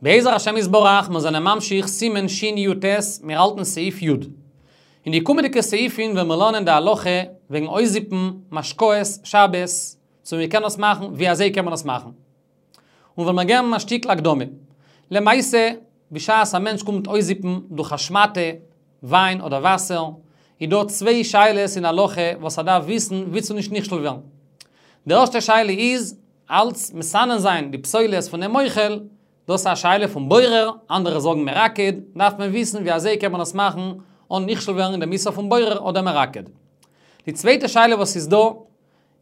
בעזר השם יתברך, מיר זענען ממשיך סימן שי"ט, מיר האלטן סעיף י'. אין די קומענדיגע סעיפים וועלן מיר לערנען די הלכה וועגן אויסזיפן משקאות שבת, צו מען קען עס מאכן, ווי אזוי קען מען עס מאכן. און וועלן מיר געבן א שטיקל הקדמה. למעשה, בשעת א מענטש קומט אויסזיפן דורך א שמאטע, וויין אדער וואסער, איז דא צוויי שאלות אין הלכה וואס ער דארף וויסן ווי צו נישט נכשל ווערן. די ערשטע שאלה איז, אלץ מסנן זיין די פסולת פונעם אוכל, דאס איז א שאלה פון בורר, אנדערע זאגן מרקד, דארף מען וויסן ווי אזוי קען מען עס מאכן אן נכשל ווערן אין דעם איסור פון בורר אדער מרקד. די צווייטע שאלה וואס איז דא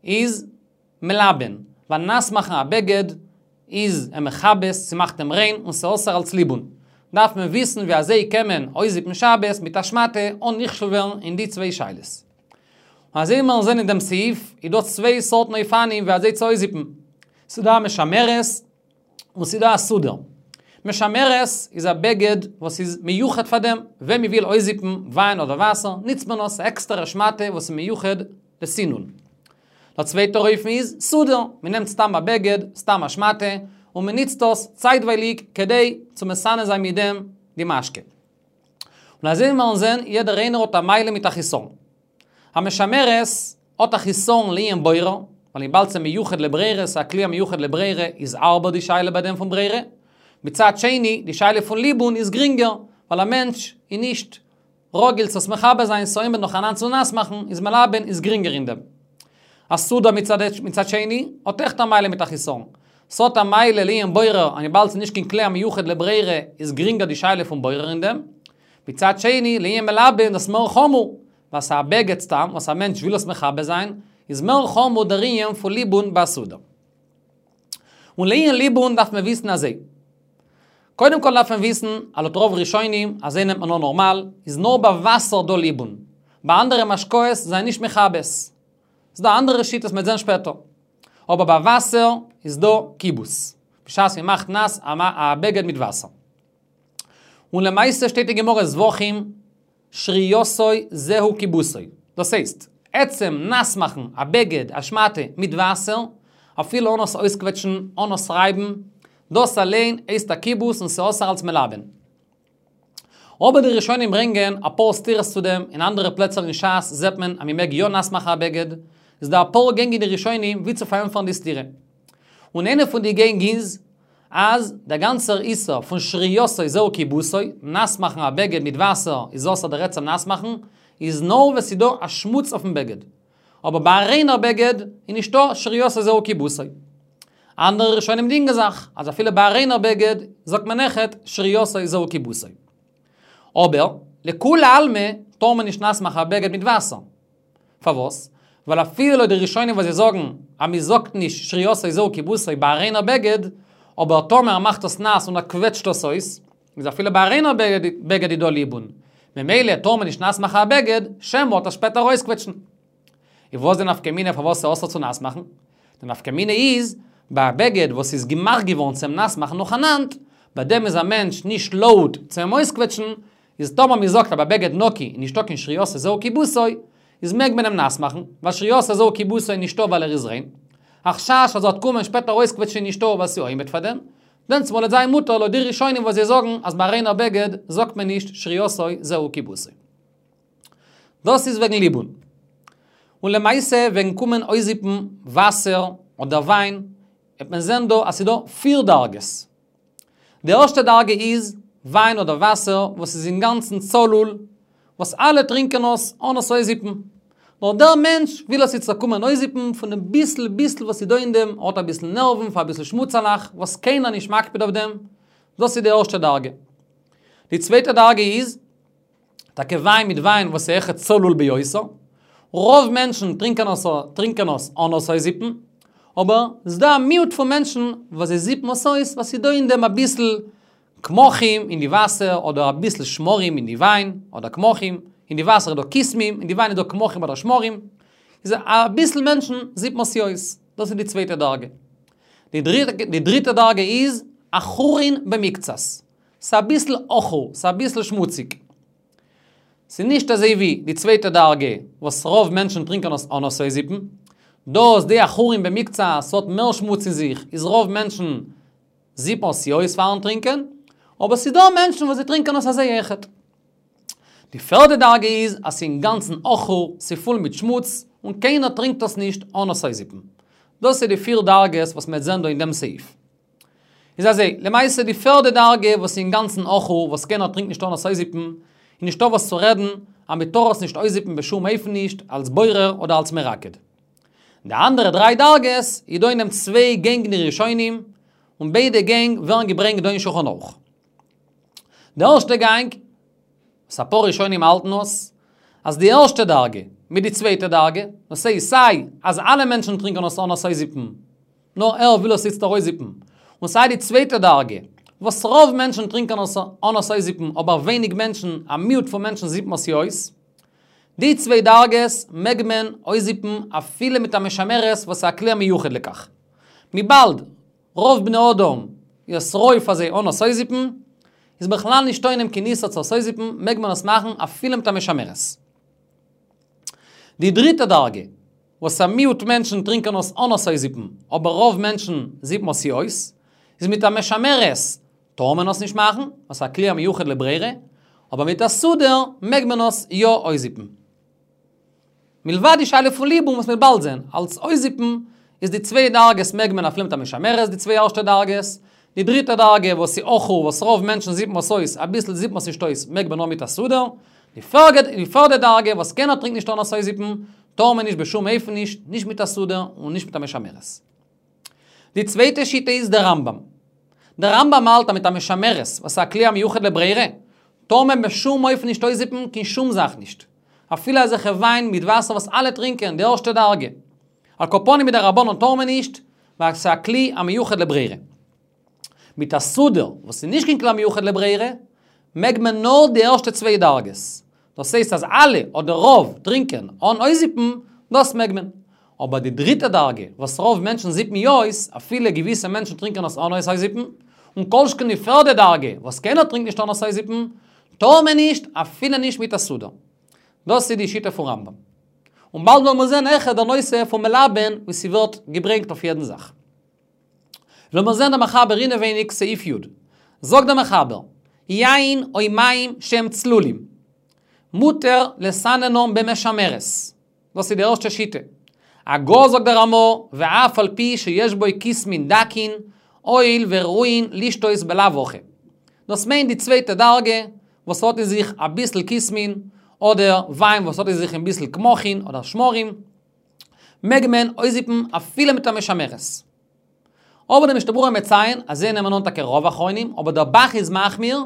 איז מלבן, ווייל נאס מאכן א בגד איז אים מכבס, ס'מאכט אים ריין און ס'אסור אלץ ליבון. דארף מען וויסן ווי אזוי קען מען אויסזיפן שבת מיט א שמאטע אן נכשל ווערן אין די צוויי שאלות. און אזוי ווי מיר זעען אין דעם סעיף, איז דא צוויי סארטן אופנים ווי אזוי צו אויסזיפן. ס'איז דא א משמרת און ס'איז דא א סודר. משמרת איז א בגד וואס איז מיוחד פאר דעם, ווען מ'וויל אויסזיפן וויין אדער וואסער, ניצט מען עס, א עקסטערע שמאטע וואס איז מיוחד לסינון. דער צווייטער אופן איז סודר, מ'נעמט סתם א בגד, סתם א שמאטע, און מ'ניצט עס צייטווייליג כדי צו מסנן זיין מיט דעם די משקה. און אזוי ווי מיר זעהן, יעדער איינער האט א מעלה מיט א חיסרון. א משמרת האט א חיסרון לענין בורר, ווייל וויבאלד ס'איז מיוחד לברירה, ס'איז א כלי המיוחד לברירה, איז הארבער די שאלה ביי דעם פון ברירה. מצד שני, די שאלה פון ליבון איז גרינגער, ווייל א מענטש איז נישט רגיל צו עס מכבס זיין, ס'עומד נאכאנאנד צו נאס מאכן, איז מלבן איז גרינגער אין דעם. א סודר מצד שני, האט אויכעט א מעלה מיט א חיסרון. ס'האט א מעלה לענין בורר, אז וויבאלד ס'איז נישט קיין כלי המיוחד לברירה איז גרינגער די שאלה פון בורר אין דעם. מצד שני, לענין מלבן איז דאס מער חמור, ווייל ס'איז א בגד סתם וואס א מענטש וויל עס מכבס זיין, איז מער חמור דער ענין פון ליבון ביי סודר. און לענין ליבון דארף מען וויסן אזוי. קודם כל דארף מען וויסן, אז לויט רוב ראשונים, אזוי נעמט מען אן נארמאל, איז נאר ביי וואסער דא ליבון. ביי אנדערע משקאות זענען נישט מכבס. ס'איז דא אנדערע שיטות מ'וועט זען שפעטער. אבער ביי וואסער איז דא כיבוס. בשעת מ'מאכט נאס א בגד מיט וואסער. און למעשה שטייט אין גמרא זבחים שרייתו זהו כיבוסו. דאס הייסט, עצם נאס מאכן א בגד, א שמאטע, מיט וואסער, אפילו אן עס אויסקוועטשן, אן עס רייבן, דאס אליין הייסט א כיבוס און ס'אסור אלס מלבן. אבער די ראשונים ברענגען אפאר סתירות צו דעם, אין אנדערע פלעצער אין שס זעט מען אז מ'מעג יא נאס מאכן א בגד, איז דא אפאר גענג אין די ראשונים ווי צו פארענטפערן די סתירה. און איינע פון די גענג איז, אז דער גאנצער איסור פון שרייתו זהו כיבוסו, נאס מאכן א בגד מיט וואסער איז אסור דער עצם נאס מאכן, איז נאר ווען ס'איז דא א שמוץ אויפן בגד. אבער ביי א ריינער בגד איז נישטא שרייתו זהו כיבוסו. אנדערע ראשונים דינגען זיך, אז אפילו ביי א ריינער בגד זאגט מען אויכעט שרייתו זהו כיבוסו. אבער, לכולי עלמא טאר מען נישט נאס מאכן א בגד מיט וואסער. פארוואס? ווייל אפילו לויט די ראשונים וואס זיי זאגן אז מען זאגט נישט שרייתו זהו כיבוסו ביי א ריינער בגד, אבער טאמער ער מאכט עס נאס און ער קוועטשט עס אויס, איז אפילו ביי א ריינער בגד איז דא ליבון. ממילא טאר מען נישט נאס מאכן א בגד, שמא וועט ער שפעטער אויסקוועטשן. איז וואס די נפקא מינה פארוואס ס'איז אסור צו נאס מאכן? די נפקא מינה איז, ביי א בגד וואס איז געמאכט געווארן צום נאס מאכן נאכאנאנד, ביי דעם איז א מענטש נישט לויט צו אים אויסקוועטשן, איז טאמער מען זאגט אז ביי בגד נקי איז נישטא קיין שרייתו זהו כיבוסו, איז מעג מען אים נאס מאכן, ווייל שרייתו זהו כיבוסו איז נישטא ווייל ער איז ריין. א חשש אז ער וועט קומען שפעטער אויסקוועטשן איז נישטא ווייל ס'איז עומד פאר דעם. דענסטמאל וועט זיין מותר לויט די ראשונים וואס זיי זאגן אז ביי א ריינער בגד זאגט מען נישט שרייתו זהו כיבוסו. דאס איז וועגן ליבון. און למעשה וועגן קומען אויסזיפן וואסער אדער וויין, וועט מען זען דא אז ס'איז דא פיר דרגות. די ערשטע דרגה איז, וויין אדער וואסער וואס איז אינגאנצן צלול, וואס אלע טרינקען עס אן עס אויסזיפן. נאר דער מענטש וויל עס איצטער קומען אויסזיפן פון דעם ביסל ביסל וואס איז דא אין דעם, ער האט אביסל נערוון פאר אביסל שמוצעלעך, וואס קיינער נישט מקפיד אויף דעם. דאס איז די ערשטע דרגה. די צווייטע דרגה איז, טאקע וויין מיט וויין וואס איז אויכעט צלול ביותר, רוב מענטשן טרינקען עס טרינקען עס אן עס אויסזיפן, אבער ס'איז דא א מיעוט פון מענטשן וואס זיי זיפן עס אויס ווייל ס'איז דא אין דעם אביסל קמחים אין די וואסער אדער אביסל שמרים אין די וויין אדער קמחים, אין די וואסער איז דא כסמים, אין די וויין איז דא קמחים אדער שמרים, איז אביסל מענטשן זיפן עס אויס, דאס איז די צווייטע דרגה. די דריטע דרגה איז עכורין במקצת. ס'איז אביסל עכור, ס'איז אביסל שמוציג. ס'איז נישט אזוי ווי די צווייטע דרגה וואס רוב מענטשן טרינקען עס אן עס אויסזיפן. דאס די עכורין במקצת, ס'האט מער שמוץ אין זיך, איז רוב מענטשן זיפן עס יא אויס פארן טרינקען, אבער ס'איז דא מענטשן וואס זיי טרינקען עס אזוי אויכעט. די פערדע דרגה איז אז ס'איז אינגאנצן עכור, ס'איז פול מיט שמוץ, און קיינער טרינקט עס נישט אן עס אויסזיפן. דאס איז די פיר דרגות וואס מ'וועט זען דא אין דעם סעיף. איז אזוי, למעשה די פערדע דרגה וואס איז אינגאנצן עכור, וואס קיינער טרינקט נישט אן עס אויסזיפן, איז נישטא וואס צו רעדן, אז מ'טאר עס נישט אויסזיפן בשום אופן נישט, אלס בורר אדער אלס מרקד. די אנדערע דריי דרגות איז דא אין דעם צוויי גענג אין די ראשונים, און ביידע גענג ווערן געברענגט דא אין שולחן ערוך. די ערשטע גאנג, וואס אפאר ראשונים האלטן עס, אז די ערשטע דרגה מיט די צווייטע דרגה, דאס הייסט סיי אז אלע מענטשן טרינקען עס אן עס אויסזיפן, נאר ער וויל עס איצט ארויסזיפן, און סיי די צווייטע דרגה, וואס רוב מענטשן טרינקען עס אן עס אויסזיפן אבער ווייניג מענטשן, א מיעוט פון מענטשן זיפן עס יא אויס. די צוויי דרגות מעג מען אויסזיפן אפילו מיט א משמרת וואס איז א כלי המיוחד לכך. וויבאלד רוב בני אדם איז עס ראוי פאר זיי אן עס אויסזיפן, איז בכלל נישטא אין דעם קיין איסור צו עס אויסזיפן, מעג מען עס מאכן אפילו מיט א משמרת. די דריטע דרגה, וואס א מיעוט מענטשן טרינקען עס אן עס אויסזיפן, אבער רוב מענטשן זיפן עס יא אויס, איז מיט א משמרת טאר מען עס נישט מאכן, עס איז א כלי המיוחד לברירה, אבער מיט א סודר מעג מען עס יא אויסזיפן. מלבד די שאלה פון ליבון וואס מ'וועט באלד זען, אלס אויסזיפן איז די צוויי דרגות מעג מען אפילו מיט א משמרת די צוויי ערשטע דרגות, די דריטע דרגה וואס איז עכור וואס רוב מענטשן זיפן עס אויס, אביסל זיפן עס נישט אויס, מעג מען נאר מיט א סודר, די פערדע דרגה וואס קיינער טרינקט נישט אן עס אויסזיפן, טאר מען נישט בשום אופן נישט, נישט מיט א סודר און נישט מיט א משמרת. די צווייטע שיטה איז דער רמב"ם. דער רמב"ם האלט אז מיט א משמרת, וואס איז א כלי המיוחד לברירה, טאר מען בשום אופן נישט אויסזיפן קיין שום זאך נישט. אפילו אזעלכע וויין מיט וואסער וואס אלע טרינקען, די ערשטע דרגה. על כל פנים מדרבנן טאר מען נישט, ווייל ס'איז א כלי המיוחד לברירה. מיט א סודר, וואס איז נישט קיין כלי המיוחד לברירה, מעג מען נאר די ערשטע צוויי דרגות. דאס הייסט אז אלע, אדער רוב, טרינקען אן אויסזיפן, דאס מעג מען. אבער די דריטע דרגה, וואס רוב מענטשן זיפן יא אויס, אפילו געוויסע מענטשן טרינקען עס אן עס אויסזיפן, און כל שכן די פערדע דרגה, וואס קיינער טרינקט נישט אן עס אויסזיפן, טאר מען נישט, אפילו נישט מיט א סודר. דאס איז די שיטה פון רמב"ם. און באלד וועלן מיר זען אויכעט דער נושא פון מלבן ווי ס'ווערט געברענגט אויף יעדן זאך. וועלן מיר זען דער מחבר אינעווייניג סעיף י'. זאגט דער מחבר, יין או מים שהם צלולים. מותר לסננם במשמרת. דאס איז די ערשטע שיטה. הגה זאגט דער רמ"א, ואף על פי שיש בו כסמין דקין, הואיל וראויין לשתות בלאו הכי. דאס מיינט די צווייטע דרגה, וואס האט אין זיך אביסל כסמין, אדער וויין וואס האט אין זיך אביסל קמחין אדער שמרים, מעג מען אויסזיפן אפילו מיט א משמרת. אבער דער משנה ברורה מציין אז זיי נעמען אן טאקע רוב אחרונים, אבער דער ב"ח איז מחמיר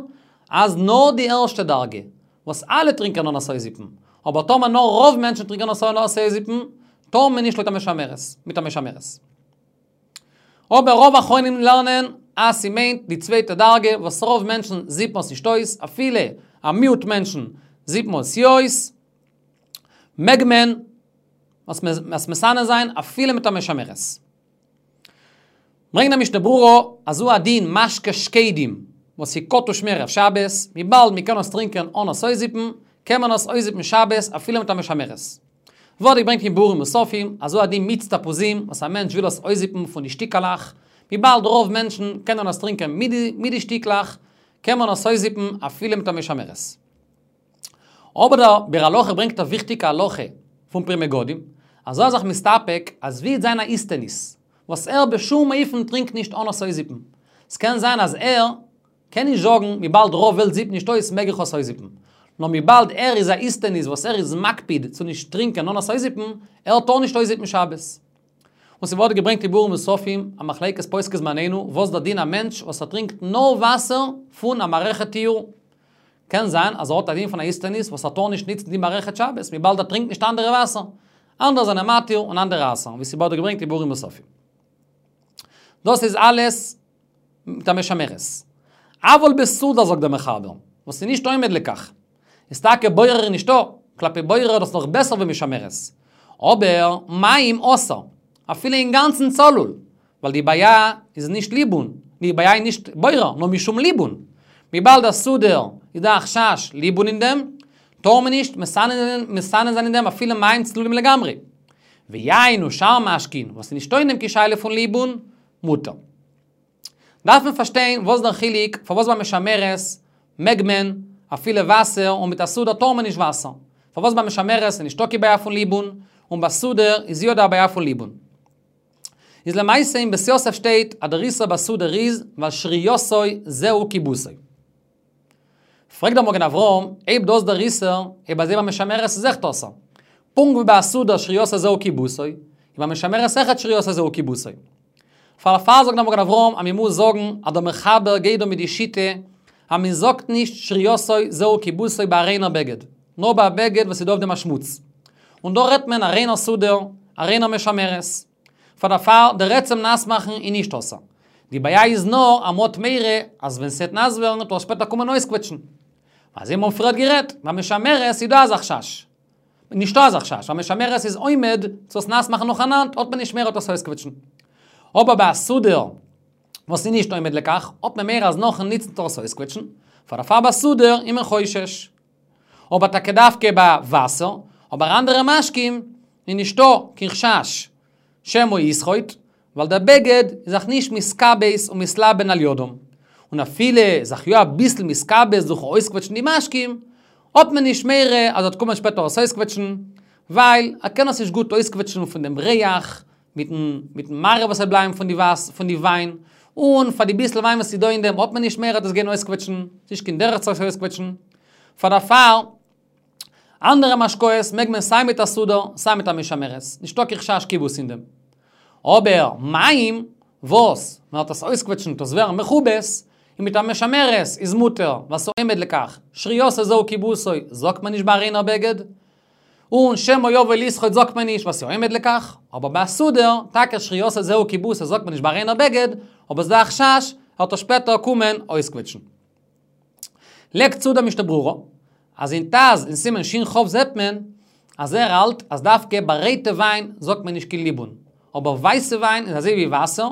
אז נאר די ערשטע דרגה, וואס אלע טרינקען אן עס אויסזיפן, אבער טאמער נאר רוב מענטשן טרינקען עס אן עס אויסזיפן, טאר מען נישט לויט א משמרת, מיט א משמרת. אבער רוב אחרונים לערנען אז ס'מיינט די צווייטע דרגה וואס רוב מענטשן זיפן עס נישט אויס, אפילו א מיעוט מענטשן זיפן עס יא אויס, מעג מען עס מסנן זיין אפילו מיט א משמרת. ברענגט דער משנה ברורה אז הוא הדין משקה שקדים וואס איז כתוש מערב שבת, וויבאלד מען קען עס טרינקען אן עס אויסזיפן, קען מען עס אויסזיפן שבת אפילו מיט א משמרת. ווערט געברענגט אין ביאורים מוספים אז הוא הדין מיץ תפוזים וואס א מענטש וויל עס אויסזיפן פון די שטיקעלעך, וויבאלד רוב מענטשן קענען עס טרינקען מיט די שטיקלעך, קען מען עס אויסזיפן אפילו מיט א משמרת. אבער דער ביאור הלכה ברענגט א וויכטיגע הלכה פון פרי מגדים, אז ער איז זיך מסתפק אז ווי וועט זיין א איסטניס, וואס ער בשום אופן טרינקט נישט אן עס אויסזיפן. ס'קען זיין אז ער קען נישט זאגן וויבאלד רוב וועלט זיפט נישט אויס מעג איך עס אויסזיפן. נאר וויבאלד ער איז א איסטניס וואס ער איז מקפיד צו נישט טרינקען אן עס אויסזיפן, ער טאר נישט אויסזיפן שבת. און ס'ווערט געברענגט אין ביאורים מוספים, א מחלוקת פוסקי זמנינו, וואס דער דין א מענטש וואס ער טרינקט נאר וואסער פון א מערכת טיהור. קען זיין אז ער האט א דין פון א איסטניס וואס ער טאר נישט ניצן די מערכת שבת, וויבאלד ער טרינקט נישט אנדערע וואסער. אנדערע זענען מתיר און אנדערע אסר'ן, ווי ס'ווערט געברענגט אין ביאורים מוספים. דאס איז אלעס מיט א משמרת. אבל בסודר זאגט דער מחבר, וואס איז נישט עומד לכך. איז טאקע בורר נישטא, כלפי בורר איז דאס נאך בעסער ווי משמרת. אבער מים אסור, אפילו אינגאנצן צלול, ווייל די בעיה איז נישט ליבון, די בעיה איז נישט בורר, נאר משום ליבון. וויבאלד א סודר איז דא א חשש ליבון אין דעם, טאר מען נישט מסנן זיין אין דעם אפילו מים צלולים לגמרי. ויין ושאר משקין, וואס איז נישטא אין דעם קיין שאלה פון ליבון, מותר. דארף מען פארשטיין וואס דער חילוק פארוואס ביי משמרת מעג מען אפילו וואסער און מיט א סודר טאר מען נישט וואסער. פארוואס ביי משמרת איז נישטא קיין בעיה פון ליבון און ביי סודר איז יא דא א בעיה פון ליבון. איז למעשה אין בית יוסף שטייט אז דער איסור ביי סודר איז ווייל שרייתו זהו כיבוסו. פרעגט דער מגן אברהם, אויב דאס דער איסור, אויב אזוי ביי משמרת איז אויכעט אסור. פונקט ווי ביי א סודר שרייתו זהו כיבוסו, איז ביי משמרת אויכעט שרייתו זהו כיבוסו. פארפאר זאגט דער מגן אברהם אז מען מוז זאגן אז דער מחבר גייט דא מיט די שיטה אז מען זאגט נישט שרייתו זהו כיבוסו ביי א ריינער בגד, נאר ביי א בגד וואס איז דא אויף דעם א שמוץ. און דא רעדט מען א ריינער סודר, א ריינער משמרת. פאר דערפאר דער עצם נאס מאכן איז נישט אסור. די בעיה איז נאר אז מ'האט מורא אז ווען ס'עט נאס ווערן וועט ער שפעטער קומען אויסקוועטשן. אזוי האבן מיר פריערט גערעדט, ביי משמרת איז דא אזא חשש. נישטא אזא חשש, ביי משמרת איז עומד צו עס נאס מאכן נאכאנאנד, האט מען נישט מורא עס אויסקוועטשן. אבער ביי א סודר וואס איז נישט עומד לכך, האט מען מורא אז נאכן ניצן וועט ער עס אויסקוועטשן, פאר דערפאר ביי סודר איז מען חושש. אבער טאקע דווקא ביי וואסער, אבער אנדערע משקים איז נישטא קיין חשש שמא יסחוט, ווייל דער בגד איז זיך נישט מתכבס ומתלבן על ידם, און אפילו זיך יא אביסל מתכבס דורכן אויסקוועטשן די משקים, האט מען נישט מורא אז ער וועט קומען שפעטער עס אויסקוועטשן, ווייל ער קען עס נישט גוט אויסקוועטשן פון דעם ריח, מיטן מיטן מראה וואס וועט בלייבן פון די וואס פון די וויין, און פאר די ביסל וויין וואס איז דא אין דעם האט מען נישט מורא עס גיין אויסקוועטשן, ס'נישט קיין דרך צו עס אויסקוועטשן. פאר דערפאר, אנדערע משקאות מעג מען סיי מיט א סודר סיי מיט א משמרת, נישטא קיין חשש כיבוס אין דעם. אבער מים, וואס מען וועט עס אויסקוועטשן וועט עס ווערן מכובס, און מיט א משמרת איז מותר, ווייל ס'עומד לכך, שרייתו זהו כיבוסו זאגט מען נישט ביי א ריינער בגד, און שמא יבוא לסחוט זאגט מען נישט ווייל ס'עומד לכך, אבער ביי א סודר, טאקע שרייתו זהו כיבוסו זאגט מען נישט ביי א ריינער בגד, אבער ס'דא א חשש ער וועט עס שפעטער קומען אויסקוועטשן. לייגט צו דער משנה ברורה, אז אין ט"ז אין סימן שכ זעט מען אז ער האלט אז דווקא ביי רויטע וויין זאגט מען נישט קיין ליבון, אבער ווייסע וויין איז אזוי ווי וואסער,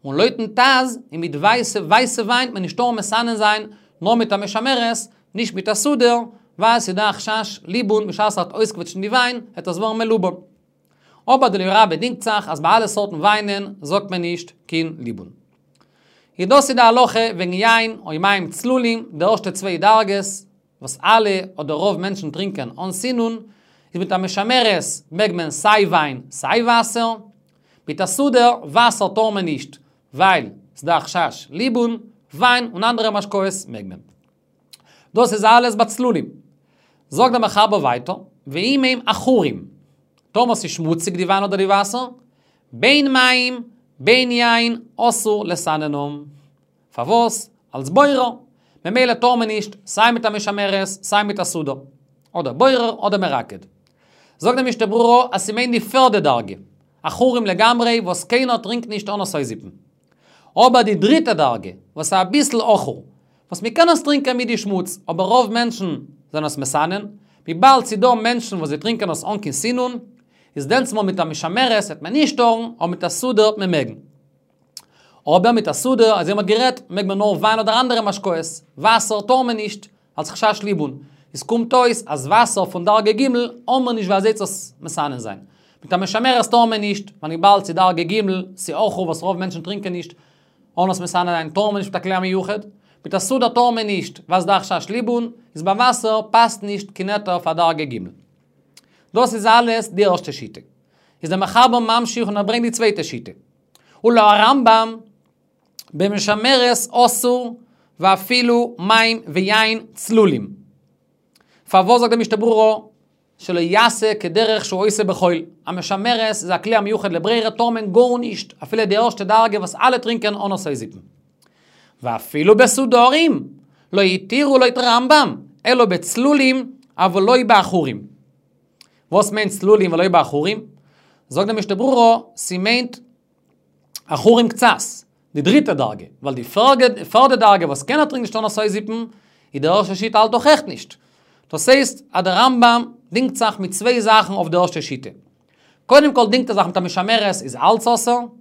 און לויטן ט"ז איז מיט ווייסע ווייסע וויין מען נישט טאר מסנן זיין נאר מיט א משמרת, נישט מיט א סודר, ווייל ס'איז דא א חשש ליבון בשעת ער וועט אויסקוועטשן די וויין וועט עס ווערן מלובן. אבער די אליה רבה דינגט זיך אז ביי אלע סארטן וויינען זאגט מען נישט קיין ליבון. איז דאס איז די הלכה וועגן יין או מים צלולים, די ערשטע צוויי דרגות, וואס אלע אדער רוב מענטשן טרינקען אן סינון, איז מיט א משמרת מעג מען סיי וויין סיי וואסער, מיט א סודר וואסער טאר מען נישט ווייל ס'דא א חשש ליבון, וויין און אנדערע משקאות מעג מען. דאס איז אלעס ביי צלולים. זאגט דער מחבר ווייטער, ואם הם עכורים, טאמער ס'איז שמוציג די וויין אדער די וואסער, בין מים בין יין אסור לסננם. פארוואס? אלס בורר. ממילא טאר מען נישט סיי מיט א משמרת סיי מיט א סודר. אדער בורר אדער מרקד. זאגט דער משנה ברורה אז ס'מיינט די פערדע דרגה, עכורים לגמרי וואס קיינער טרינקט נישט אן עס אויסזיפן. אבער די דריטע דרגה, וואס איז אביסל עכור, וואס מען קען עס טרינקען מיט די שמוץ, אבער רוב מענטשן זענען עס מסנן, וויבאלד ס'איז דא מענטשן וואס זיי טרינקען עס אן קיין סינון, איז דענסמאל מיט א משמרת וועט מען נישט טארן, אבער מיט א סודר וועט מען מעגן. אבער מיט א סודר, אזוי ווי מ'האט גערעדט, מעג מען נאר וויין אדער אנדערע משקאות, וואסער טאר מען נישט, אלס חשש ליבון. עס קומט אויס אז וואסער פון דרגה ג' האט מען נישט ווי אזוי צו עס מסנן זיין. מיט א משמרת טאר מען נישט, ווייל וויבאלד ס'איז דרגה ג', ס'איז עכור וואס רוב מענטשן טרינקען נישט, אן עס מסנן זיין טאר מען נישט מיט א כלי המיוחד. מיט א סודר טאר מען נישט, ווייל ס'דא חשש ליבון, איז ביי וואסער פאסט נישט קיין היתר פאר דרגה ג'. דאס איז אלעס די ערשטע שיטה. איז דער מחבר ממשיך און ער ברענגט די צווייטע שיטה. ולהרמב"ם במשמרת אסור ואפילו מים ויין צלולים. פארוואס זאגט די משנה ברורה שלא יעשה כדרך שהוא עושה בחול? א משמרת איז א כלי המיוחד לברירה טאר מען גארנישט אפילו די ערשטע דרגה וואס אלע טרינקען אן עס אויסזיפן. ואפילו בסודרים לא התירו לויט רמב"ם אלא בצלולים אבל לא בעכורים. וואס מיינט צלולים ולא בעכורים? זאגט די משנה ברורה, ס'מיינט עכורים קצת, די דריטע דרגה, ווייל די פערדע דרגה וואס קיינער טרינקט נישט אן עס אויסזיפן, איז די ערשטע שיטה האלט דאך אויכעט נישט. דאס הייסט אז דער רמב"ם דינגט זיך מיט צוויי זאכן אויף די ערשטע שיטה. קודם כל דינגט ער זיך מיט א משמרת איז אלץ אסור,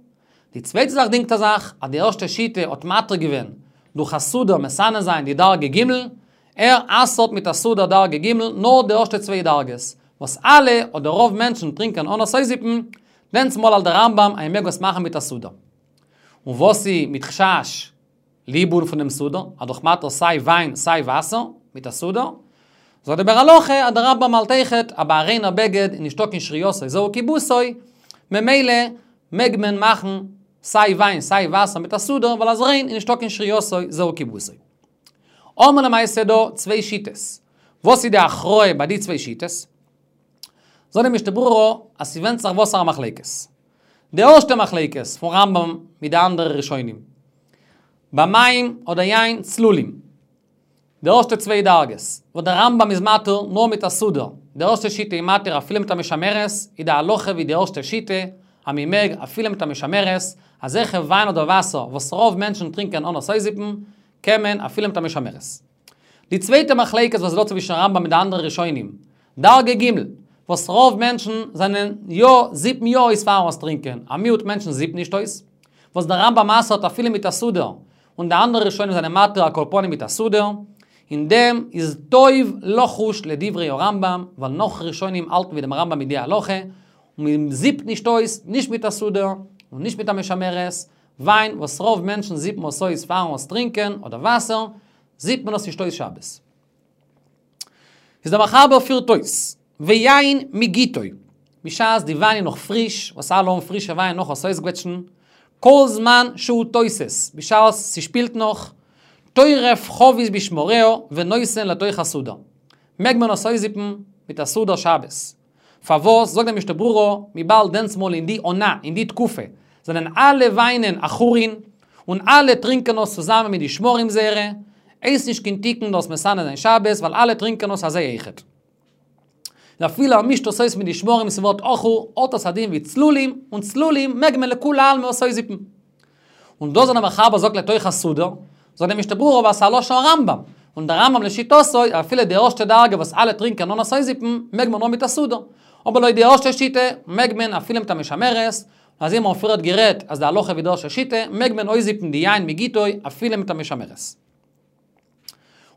די צווייטע זאך דינגט ער זיך אז די ערשטע שיטה האט מתיר געווען דורך א סודר מסנן זיין די דרגה ג', ער אסר'ט מיט א סודר דרגה ג' נאר די ערשטע צוויי דרגות, וואס אלע אדער רוב מענטשן טרינקען אן עס אויסזיפן, דענסמאל האלט דער רמב"ם אז מ'מעג עס מאכן מיט א סודר. און וואס איז מיט חשש? ליבון פון דעם סודר, איז דאך מותר סיי וויין סיי וואסער מיט א סודר. זאגט דער ביאור הלכה אז דער רמב"ם האלט אויכעט אז ביי א ריינער בגד איז נישטא קיין שרייתו זהו כיבוסו, ממילא מעג מען מאכן סיי וויין סיי וואסער מיט א סודר ווייל אז ריין איז נישטא קיין שרייתו זהו כיבוסו. האבן מיר למעשה דא צוויי שיטות. וואס איז די הכרעה ביי די צוויי שיטות? זאגט די משנה ברורה אז ס'ווענדט זיך וואסערע מחלוקת. די ערשטע מחלוקת פון רמב"ם מיט די אנדערע ראשונים. ביי מים אדער יין צלולים. די ערשטע צוויי דרגות, וואס דער רמב"ם איז מתיר נאר מיט א סודר, די ערשטע שיטה איז מתיר אפילו מיט א משמרת, איז די הלכה ווי די ערשטע שיטה, אז מען מעג אפילו מיט א משמרת, אזעלכע וויין אדער וואסער וואס רוב מענטשן טרינקען אן עס אויסזיפן, קען מען אפילו מיט א משמרת. די צווייטע מחלוקת וואס איז דא צווישן רמב"ם מיט די אנדערע ראשונים, דרגה ג', וואס רוב מענטשן זענען יא, זיפן יא אויס פארן עס טרינקען, א מיעוט מענטשן זיפן נישט אויס, וואס דער רמב"ם אסר'ט אפילו מיט א סודר, און די אנדערע ראשונים זענען מתיר על כל פנים מיט א סודר, אין דעם איז טוב לחוש לדברי הרמב"ם, ווייל נאך ראשונים האלטן ווי דעם רמב"ם מיט די הלכה, און מען זיפט נישט אויס, נישט מיט א סודר, און נישט מיט א משמרת, וויין וואס רוב מענטשן זיפן עס אויס פארן עס טרינקען, אדער וואסער, זיפט מען עס נישט אויס שבת. איז דער מחבר פירט אויס, ויין מגיתו, בשעת די וויין איז נאך פריש, וואס אלע האבן פרישע וויין נאך עס אויסקוועטשן, כל זמן שהוא תוסס, בשעת ס'שפילט נאך, טורף חבית בשמריה ונותן לתוך הסודר. מעג מען עס אויסזיפן מיט א סודר שבת. פארוואס זאגט דער משנה ברורה, וויבאלד דענסמאל אין די עונה, אין די תקופה, זענען אלע וויינען עכורין, און אלע טרינקען עס צוזאמען מיט די שמרים זייערע, הייסט נישט קיין תיקון דאס מסנן זיין שבת, ווייל אלע טרינקען עס אזוי אויכעט. און אפילו ער מישט עס אויס מיט די שמרים ס'ווערט עכור, האט עס א דין ווי צלולים, און צלולים מעג מען לכולי עלמא עס אויסזיפן. און דאס וואס דער מחבר זאגט לתוך הסודר, זאגט דער משנה ברורה ווייל ס'איז א לשון רמב"ם, און דער רמב"ם לשיטתו אפילו די ערשטע דרגה וואס אלע טרינקען אן עס אויסזיפן, מעג מען נאר מיט א סודר. אבער לויט די ערשטע שיטה מעג מען אפילו מיט א משמרת, און אזוי האבן מיר פריערט גערעדט אז די הלכה ווי די ערשטע שיטה, מעג מען אויסזיפן די יין מגיתו אפילו מיט א משמרת.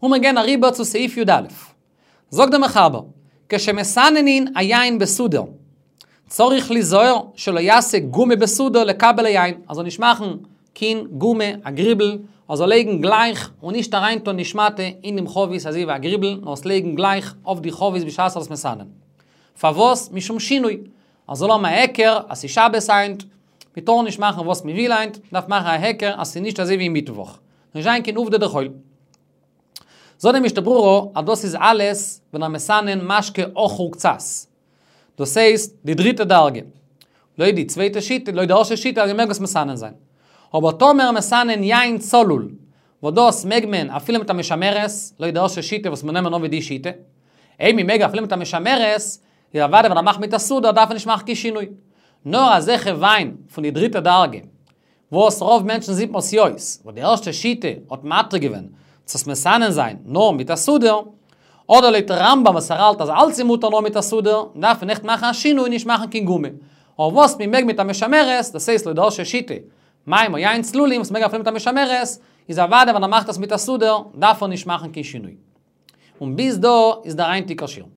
און מיר גייען אריבער צו סעיף י"א. זאגט דער מחבר, כשמסננין היין בסודר, צריך ליזהר שלא יעשה גומא בסודר לקבל היין, ער זאל נישט מאכן קין גומא, א גריבל, ער זאל לייגן גלייך און נישט אריינטון די שמאטע אין דעם חבית אזוי ווי א גריבל, נאר עס לייגן גלייך אויף די חבית בשעת ער איז מסנן. פארוואס? משום שינוי. ער זאל האבן א היכר אז ס'איז שבת היינט, מ'טאר נישט מאכן וואס מ'וויל היינט, מ'דארף מאכן א היכר אז ס'איז נישט אזוי ווי מיטוואך. נישט זיין קיין עובדא דחול. זאגט די משנה ברורה אז דאס איז אלעס ווען ער מסנן משקה עכור קצת. דאס הייסט די דריטע דרגה. לויט די צווייטע שיטה, לויט די ערשטע שיטה אז מ'מעג עס מסנן זיין. אבער טאמער מסנן יין צלול, וואס דאס מעג מען אפילו מיט א משמרת, לויט די ערשטע שיטה וואס מיר נעמען אן ווי די שיטה. אויב מ'מעג אפילו מיט א משמרת, איז אוודאי ווען ער מאכט מיט א סודר דארף ער נישט מאכן קיין שינוי. נאר אזעלכע וויין פון די דריטע דרגה, וואס רוב מענטשן זיפן עס יא אויס, וואס די ערשטע שיטה האט מתיר געווען צו עס מסנן זיין נאר מיט א סודר, אדער לויט רמב"ם וואס ער האלט אז אלץ איז מותר נאר מיט א סודר, דארף מען עכט מאכן א שינוי און נישט מאכן קיין גומא. אבער וואס מען מעג מיט א משמרת, דאס הייסט לויט די ערשטע שיטה, מים או יין צלולים וואס מען מעג אפילו מיט א משמרת, איז אוודאי ווען ער מאכט עס מיט א סודר, דארף ער נישט מאכן קיין שינוי. און ביז דא איז דער היינטיגער שיעור.